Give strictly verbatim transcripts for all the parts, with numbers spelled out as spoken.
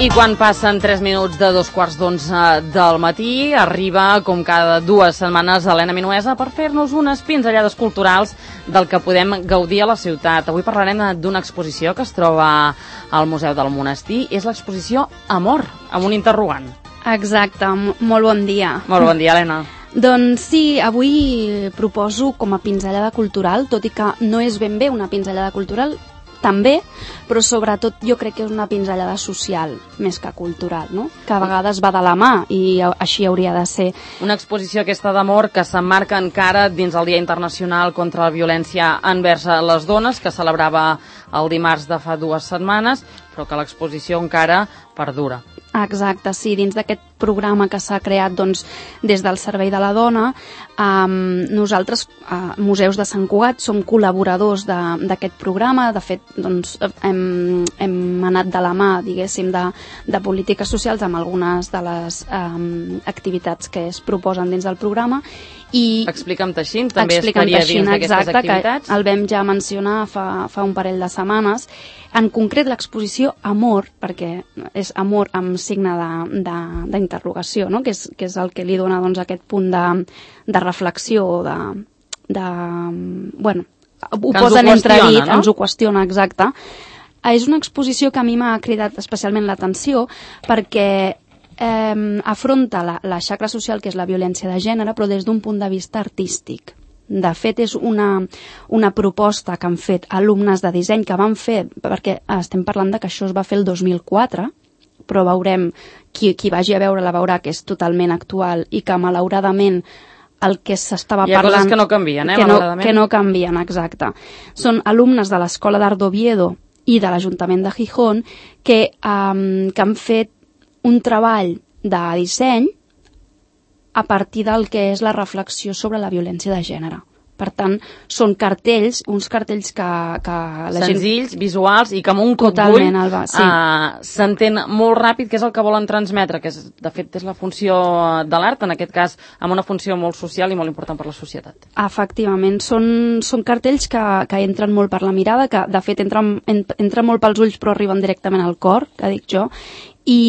I quan passen tres minuts de dos quarts d'onze del matí, arriba, com cada dues setmanes, Helena Minuesa per fer-nos unes pinzellades culturals del que podem gaudir a la ciutat. Avui parlarem d'una exposició que es troba al Museu del Monestir. És l'exposició Amor, amb un interrogant. Exacte, molt bon dia. Molt bon dia, Helena. Doncs sí, avui proposo com a pinzellada cultural, tot i que no és ben bé una pinzellada cultural, també, però sobretot jo crec que és una pinzellada social, més que cultural, no? Que a vegades va de la mà i així hauria de ser. Una exposició aquesta d'amor que s'emmarca encara dins el Dia Internacional contra la Violència envers les Dones, que celebrava el dimarts de fa dues setmanes, però que l'exposició encara perdura. Exacte, sí, dins d'aquest programa que s'ha creat doncs, des del Servei de la Dona, um, nosaltres, uh, Museus de Sant Cugat, som col·laboradors d'aquest programa. De fet, doncs, hem, hem anat de la mà, diguéssim, de, de polítiques socials amb algunes de les um, activitats que es proposen dins del programa. I Explica'm Teixint, també estaria dins d'aquestes activitats. El vam ja mencionar fa, fa un parell de setmanes. En concret, l'exposició Amor, perquè és amor amb signe d'interrogació, no? que, és, que és el que li dona doncs, aquest punt de, de reflexió, de, de, bueno, ho posa en entredit, no? Ens ho qüestiona, exacte. És una exposició que a mi m'ha cridat especialment l'atenció perquè eh, afronta la, la xacra social, que és la violència de gènere, però des d'un punt de vista artístic. De fet, és una, una proposta que han fet alumnes de disseny, que van fer, perquè estem parlant de que això es va fer el dos mil quatre, però veurem, qui, qui vagi a veure-la veurà que és totalment actual i que malauradament el que s'estava parlant... Hi ha coses que no canvien, eh, que no, malauradament. Que no canvien, exacte. Són alumnes de l'Escola d'Art d'Oviedo i de l'Ajuntament de Gijón que, um, que han fet un treball de disseny a partir del que és la reflexió sobre la violència de gènere. Per tant, són cartells, uns cartells que... que la senzills, gent... visuals, i que amb un cop d'ull sí. uh, s'entén molt ràpid què és el que volen transmetre, que és, de fet és la funció de l'art, en aquest cas amb una funció molt social i molt important per la societat. Efectivament, són, són cartells que, que entren molt per la mirada, que de fet entren, entren molt pels ulls però arriben directament al cor, que dic jo, i,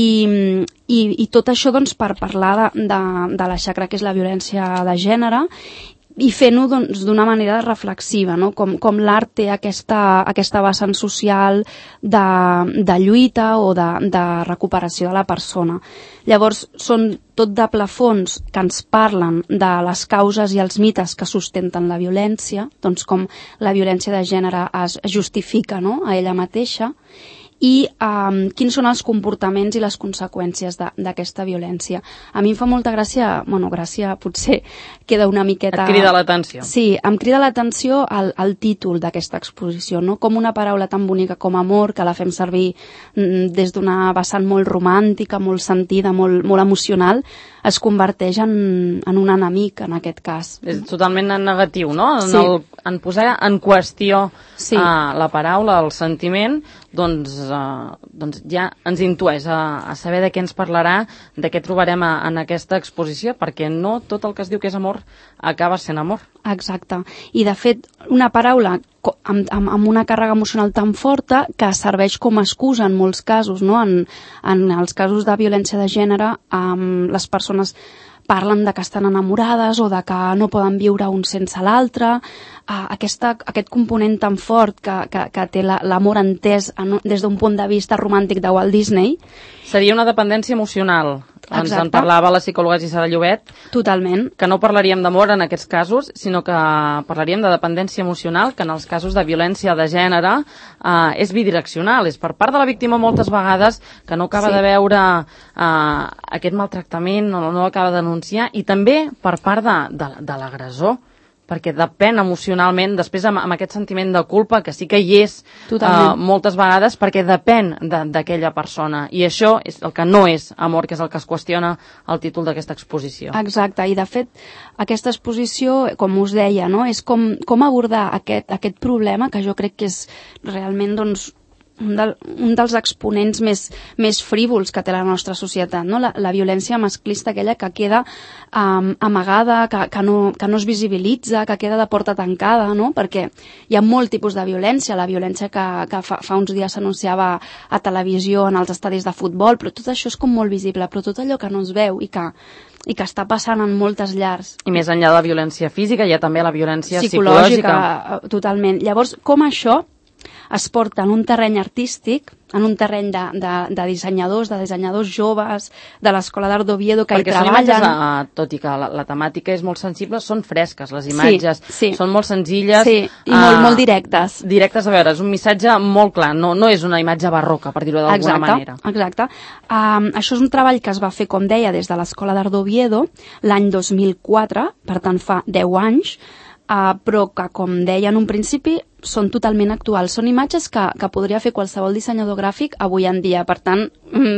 i, i tot això doncs, per parlar de, de, de la xacra que és la violència de gènere i fent-ho doncs, d'una manera reflexiva, no? com, com l'art té aquesta, aquesta vessant social de, de lluita o de, de recuperació de la persona. Llavors, són tot de plafons que ens parlen de les causes i els mites que sustenten la violència, doncs com la violència de gènere es justifica, no? A ella mateixa, i um, quins són els comportaments i les conseqüències d'aquesta violència. A mi em fa molta gràcia, bueno, gràcia potser queda una miqueta... Et crida l'atenció. Sí, em crida l'atenció el, el títol d'aquesta exposició, no? Com una paraula tan bonica com amor, que la fem servir mm, des d'una vessant molt romàntica, molt sentida, molt, molt emocional, es converteix en, en un enemic, en aquest cas. És totalment negatiu, no? En, sí. el, en posar en qüestió sí. uh, la paraula, el sentiment, doncs, uh, doncs ja ens intueix a, a saber de què ens parlarà, de què trobarem a, en aquesta exposició, perquè no tot el que es diu que és amor acaba sent amor. Exacte. I, de fet, una paraula amb, amb, amb una càrrega emocional tan forta que serveix com a excusa en molts casos, no? En, en els casos de violència de gènere, um, les persones parlen de que estan enamorades o de que no poden viure un sense l'altre. Uh, aquesta, aquest component tan fort que, que, que té l'amor entès en, des d'un punt de vista romàntic de Walt Disney. Seria una dependència emocional. Exacte. Ens en parlava la psicòloga Gisela Llobet. Totalment. Que no parlaríem d'amor en aquests casos, sinó que parlaríem de dependència emocional, que en els casos de violència de gènere eh, és bidireccional. És per part de la víctima moltes vegades que no acaba sí. de veure eh, aquest maltractament, no, no acaba de denunciar, i també per part de, de, de l'agressor, perquè depèn emocionalment, després amb, amb aquest sentiment de culpa, que sí que hi és uh, moltes vegades, perquè depèn d'aquella persona. I això és el que no és amor, que és el que es qüestiona el títol d'aquesta exposició. Exacte, i de fet, aquesta exposició, com us deia, no? És com, com abordar aquest, aquest problema, que jo crec que és realment doncs, un, del, un dels exponents més, més frívols que té la nostra societat, no? la, la violència masclista, aquella que queda um, amagada, que, que, no, que no es visibilitza, que queda de porta tancada, no? Perquè hi ha molt tipus de violència, la violència que, que fa, fa uns dies s'anunciava a televisió, en els estadis de futbol, però tot això és com molt visible, però tot allò que no es veu i que i que està passant en moltes llars. I més enllà de la violència física, hi ha també la violència psicològica. Psicològica, totalment. Llavors, com això es porta en un terreny artístic, en un terreny de, de, de dissenyadors, de dissenyadors joves, de l'Escola d'Art d'Oviedo, que Perquè hi treballen... Perquè són imatges, tot i que la, la temàtica és molt sensible, són fresques, les imatges, sí, sí. són molt senzilles. Sí, i uh, molt, molt directes. Directes, a veure, és un missatge molt clar, no, no és una imatge barroca, per dir-ho d'alguna manera. Exacte. Um, això és un treball que es va fer, com deia, des de l'Escola d'Art d'Oviedo, l'any dos mil quatre, per tant fa deu anys, Uh, però que, com deia en un principi, són totalment actuals. Són imatges que, que podria fer qualsevol dissenyador gràfic avui en dia. Per tant,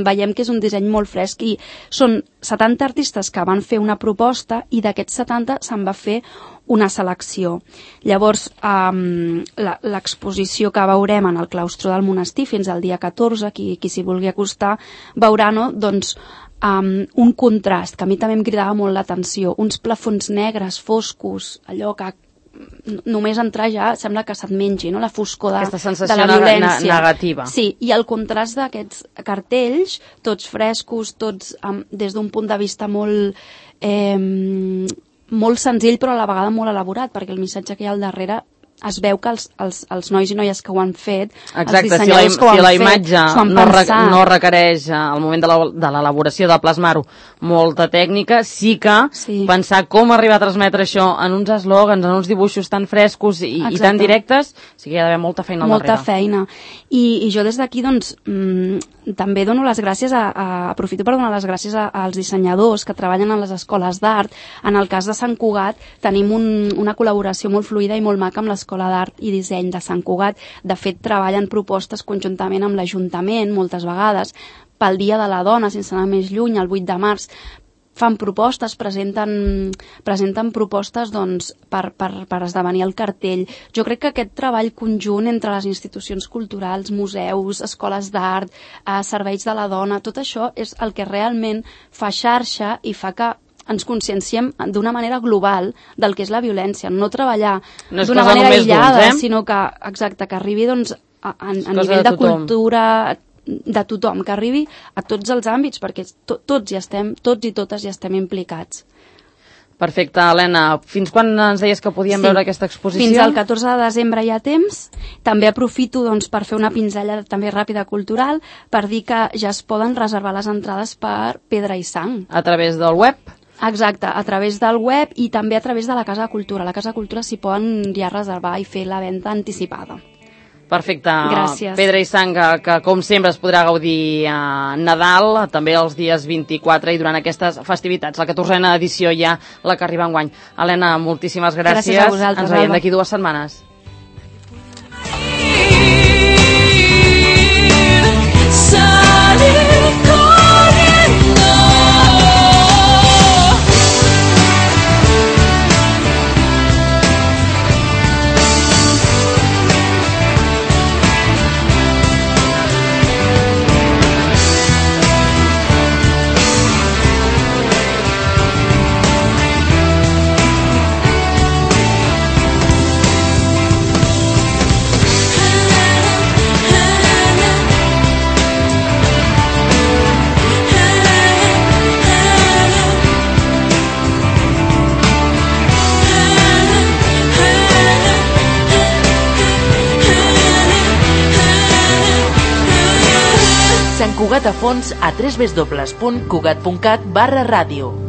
veiem que és un disseny molt fresc i són setanta artistes que van fer una proposta i d'aquests setanta se'n va fer una selecció. Llavors, um, l'exposició que veurem en el claustre del monestir fins al dia catorze, qui, qui s'hi vulgui acostar, veurà, no?, doncs, Um, un contrast, que a mi també em cridava molt l'atenció, uns plafons negres, foscos, allò que només entrar ja sembla que se't mengi, no?, la foscor de, de la violència. Negativa. Sí, i el contrast d'aquests cartells, tots frescos, tots um, des d'un punt de vista molt, eh, molt senzill, però a la vegada molt elaborat, perquè el missatge que hi ha al darrere es veu que els, els, els nois i noies que ho han fet, exacte, els dissenyadors si la, que ho han si la fet, imatge no, re, no requereix al moment de l'elaboració de plasmar-ho molta tècnica, sí que sí. pensar com arribar a transmetre això en uns eslògans, en uns dibuixos tan frescos i, i tan directes, sí que hi ha d'haver molta feina al molta darrere. Molta feina. I, I jo des d'aquí, doncs, mmm, també dono les gràcies, a, a, aprofito per donar les gràcies a, als dissenyadors que treballen a les escoles d'art. En el cas de Sant Cugat tenim un, una col·laboració molt fluida i molt maca amb l'Escola d'Art i Disseny de Sant Cugat. De fet, treballen propostes conjuntament amb l'Ajuntament, moltes vegades, pel Dia de la Dona, sense anar més lluny, el vuit de març, fan propostes, presenten, presenten propostes doncs, per, per, per esdevenir el cartell. Jo crec que aquest treball conjunt entre les institucions culturals, museus, escoles d'art, eh, serveis de la dona, tot això és el que realment fa xarxa i fa que ens conscienciem d'una manera global del que és la violència, no treballar no d'una manera aïllada, eh? sinó que, exacte, que arribi doncs, a, a, a nivell de, de cultura de tothom, que arribi a tots els àmbits, perquè to, tots, hi estem, tots i totes hi estem implicats. Perfecte, Helena. Fins quan ens deies que podíem sí. veure aquesta exposició? Fins al catorze de desembre hi ha temps. També aprofito doncs, per fer una pinzella també ràpida cultural, per dir que ja es poden reservar les entrades per Pedra i Sang. A través del web? Exacte, a través del web i també a través de la Casa de Cultura. A la Casa de Cultura s'hi poden ja reservar i fer la venda anticipada. Perfecte. Gràcies. Pedra i Sang, que, que com sempre es podrà gaudir a Nadal, també els dies vint-i-quatre i durant aquestes festivitats. La catorzena edició ja, la que arriba enguany. Helena, moltíssimes gràcies. Gràcies a vosaltres, Ens veiem d'aquí dues setmanes. Sant Cugat a fons a w w w punt cugat punt cat barra ràdio.